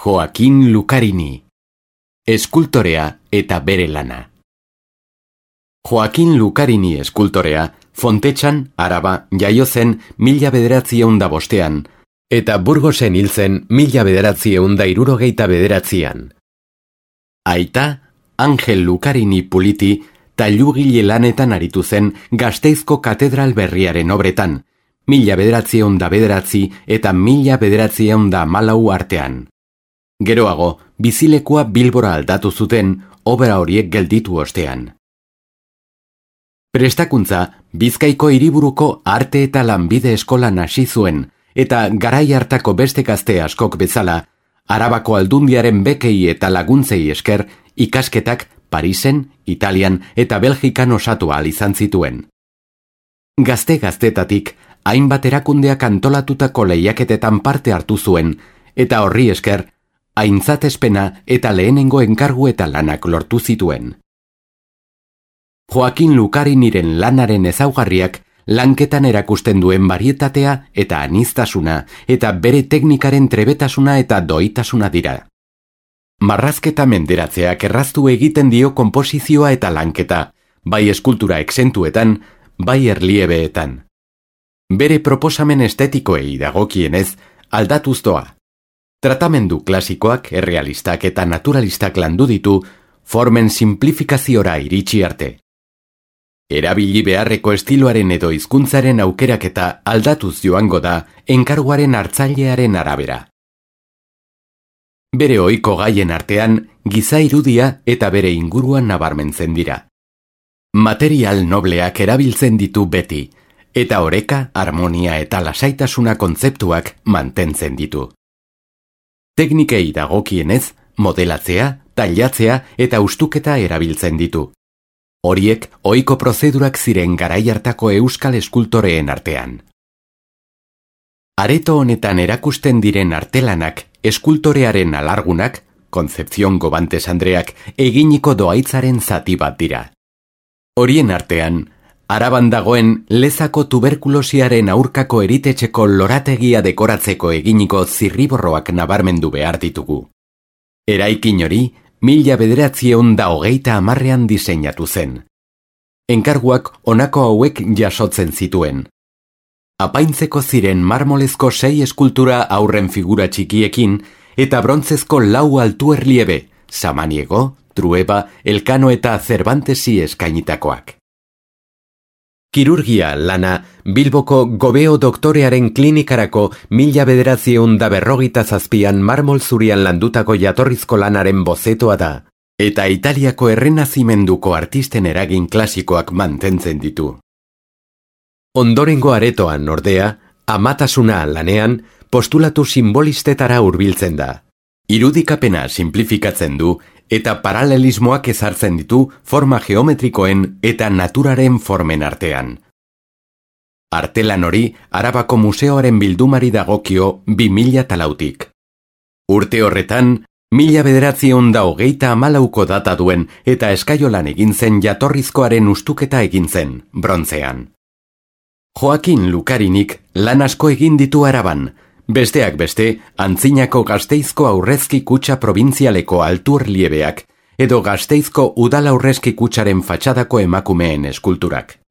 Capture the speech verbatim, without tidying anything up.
Joaquin Lucarini, eskultorea eta bere lana. Joaquin Lucarini eskultorea Fontetxan, Araba, jaio zen mila bederatzieun da bostean, eta Burgosen hil zen mila bederatzieun da hirurogeita bederatzian. Aita, Angel Lucarini Puliti, tailugile lanetan aritu zen Gasteizko katedral berriaren obretan, mila bederatzieun da bederatzi eta mila bederatzieun da hamalau artean. Geroago, bizilekua Bilbora aldatu zuten, obra horiek gelditu ostean. Prestakuntza, Bizkaiko hiriburuko arte eta lanbide eskolan hasi zuen, eta garai hartako beste gazte askok bezala, Arabako aldundiaren bekei eta laguntzei esker, ikasketak Parisen, Italian eta Belgikan osatu ahal izan zituen. Gazte-gaztetatik, hainbat erakundeak antolatutako lehiaketetan parte hartu zuen, eta horri esker, aintzatespena eta lehenengo enkargu eta lanak lortu zituen. Joaquin Lucariniren lanaren ezaugarriak lanketan erakusten duen barietatea eta aniztasuna eta bere teknikaren trebetasuna eta doitasuna dira. Marrazketa menderatzeak erraztu egiten dio konposizioa eta lanketa, bai eskultura exentuetan, bai erliebeetan. Bere proposamen estetikoei dagokienez, aldatuz doa. Tratamendu klasikoak, errealistak eta naturalistak landu ditu, formen simplifikaziora iritsi arte. Erabili beharreko estiloaren edo hizkuntzaren aukeraketa aldatuz joango da enkarguaren hartzailearen arabera. Bere ohiko gaien artean, giza irudia eta bere inguruan nabarmentzen dira. Material nobleak erabiltzen ditu beti, eta oreka, harmonia eta lasaitasuna kontzeptuak mantentzen ditu. Teknikei dagokienez, modelatzea, tailatzea eta ustuketa erabiltzen ditu. Horiek ohiko prozedurak ziren garai hartako euskal eskultoreen artean. Areto honetan erakusten diren artelanak, eskultorearen alargunak, Concepción Gobantes Andreak eginiko doaitzaren zati bat dira. Horien artean, Araban dagoen Lezako tuberkulosiaren aurkako eritetxeko lorategia dekoratzeko eginiko zirriborroak nabarmendu behar ditugu. Eraikin hori, mila bederatzieun da hogeita hamarrean diseinatu zen. Enkarguak honako hauek jasotzen zituen. Apaintzeko ziren marmolezko sei eskultura aurren figura txikiekin eta brontzezko lau altu erliebe, Samaniego, Trueba, Elkano eta Cervantesi eskainitakoak. Kirurgia lana Bilboko Gobeo doktorearen klinikarako mila bederatzieun da berrogita zazpian marmol zurian landutako jatorrizko lanaren bozetoa da, eta Italiako errenazimenduko artisten eragin klasikoak mantentzen ditu. Ondorengo aretoan, ordea, amatasuna lanean, postulatu simbolistetara hurbiltzen da. Irudikapena simplifikatzen du, eta paralelismoak ezartzen ditu forma geometrikoen eta naturaren formen artean. Artelan hori Arabako Museoaren bildumari dagokio bi mila talautik. Urte horretan, mila bederatzieun da hogeita hamalauko data duen eta eskaiolan egin zen jatorrizkoaren ustuketa egin zen, brontzean. Joaquin Lucarinik lan asko egin ditu Araban, besteak beste, Antzinako Gasteizko aurrezki kutxa probintzialeko alturliebeak edo Gasteizko udal aurrezki kutxaren fatxadako emakumeen eskulturak.